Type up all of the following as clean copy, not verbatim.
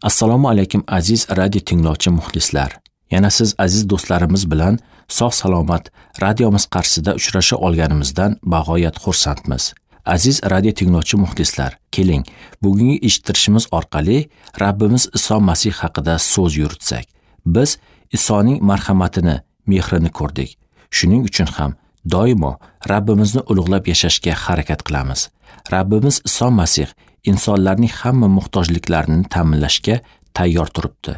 Assalomu alaykum aziz radio tinglovchi muxlislar. Yana siz aziz do'stlarimiz bilan sog' salomat radiomiz qarshisida uchrasha olganimizdan bag'oyat xursandmiz. Aziz radio tinglovchi muxlislar, keling, bugungi eshittirishimiz orqali Rabbimiz Iso Masih haqida so'z yuritsak. Biz Isoning marhamatini, mehrini ko'rdik. Shuning uchun ham doimo Rabbimizni ulug'lab yashashga harakat qilamiz. Rabbimiz Iso Masih insonlarning hamma muhtojliklarini ta'minlashga tayyor turibdi.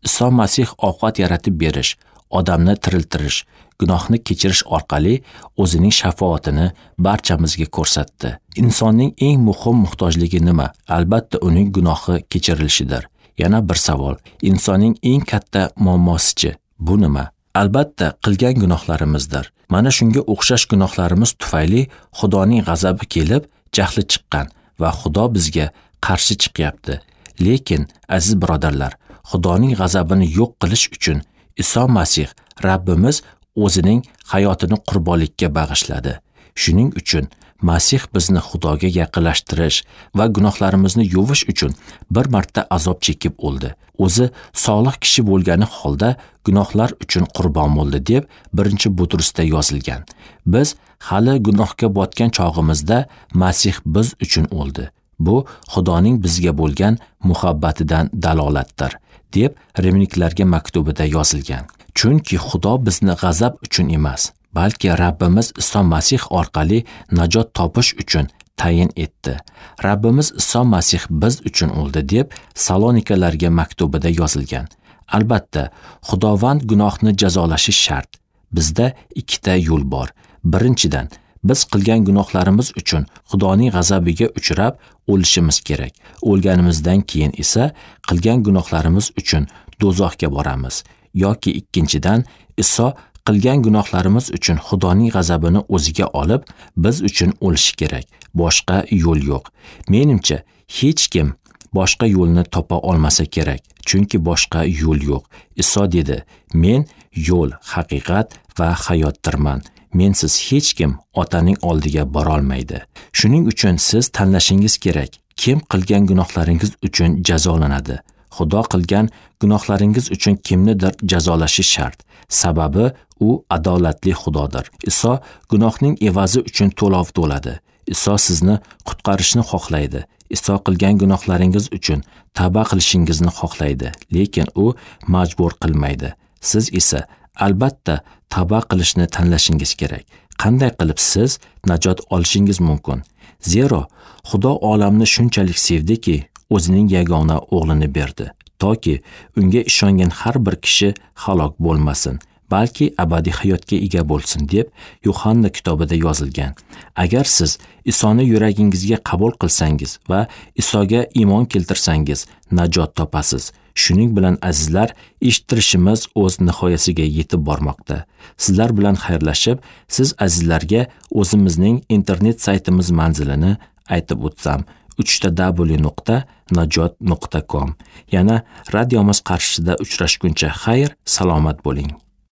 Iso Masih ovqat yaratib berish, odamni tiriltirish, gunohni kechirish orqali o'zining shafoatini barchamizga ko'rsatdi. Insonning eng muhim muhtojligi nima? Albatta uning gunohi kechirilishidir. Yana bir savol. Insonning eng katta muammosichi bu nima? Albatta qilgan gunohlarimizdir. Mana shunga o'xshash gunohlarimiz tufayli Xudoning g'azabi kelib, jahli chiqqan va Xudo bizga qarshi chiqyapti. Lekin aziz birodarlar, Xudoning g'azabini yo'q qilish uchun Iso Masih Rabbimiz o'zining hayotini qurbonlikka bag'ishladi. Shuning uchun Masih bizni Xudoga yaqinlashtirish va gunohlarimizni yuvish uchun bir marta azob chekib o'ldi. O'zi solih kishi bo'lgani holda gunohlar uchun qurbon bo'ldi deb 1-Butrusda yozilgan. Biz hali gunohga botgan chog'imizda Masih biz uchun o'ldi. Bu Xudoning bizga bo'lgan muhabbatidan dalolatdir, deb Rimliklarga maktubida yozilgan. Chunki Xudo bizni g'azab uchun emas, balki Rabbimiz Iso Masih orqali najot topish uchun tayin etdi. Rabbimiz Iso Masih biz uchun o'ldi deb Salonikalarga maktubida yozilgan. Albatta, Xudovand gunohni jazolashi shart. Bizda ikkita yo'l bor. Birinchidan, biz qilgan gunohlarimiz uchun Xudoning g'azabiga uchrab o'lishimiz kerak. O'lganimizdan keyin esa qilgan gunohlarimiz uchun do'zaxga boramiz. Yoki ikkinchidan, Iso qilgan gunohlarimiz uchun Xudoning g'azabini o'ziga olib, biz uchun o'lishi kerak. Boshqa yo'l yo'q. Menimcha, hech kim boshqa yo'lni topa olmasa kerak, chunki boshqa yo'l yo'q. Iso dedi: "Men yo'l, haqiqat va hayotdirman. Mensiz hech kim Otaning oldiga borolmaydi." Shuning uchun siz tanlashingiz kerak. Kim qilgan gunohlaringiz uchun jazolanadi? Xudo qilgan gunohlaringiz uchun kimnidir jazolashi shart. Sababi u adolatli Xudodir. Iso gunohning evazi uchun to'lov to'ladi. Iso sizni qutqarishni xohlaydi. Iso qilgan gunohlaringiz uchun tavba qilishingizni xohlaydi, lekin u majbur qilmaydi. Siz esa albatta tavba qilishni tanlashingiz kerak. Qanday qilib siz najot olishingiz mumkin? Zero Xudo olamni shunchalik sevdiki, o'zining yagona o'g'lini berdi, toki unga ishongan har bir kishi halok bo'lmasin, balki abadiy hayotga ega bo'lsin deb Yuhanna kitobida yozilgan. Agar siz Isoni yuragingizga qabul qilsangiz va Isoga iymon keltirsangiz, najot topasiz. Shuning bilan azizlar, eshittirishimiz o'z nihoyasiga yetib bormoqda. Sizlar bilan xayrlashib, siz azizlarga o'zimizning internet saytimiz manzilini aytib o'tsam: www.najot.com. Yana radiomiz qarshisida uchrashguncha xayr, salomat bo'ling.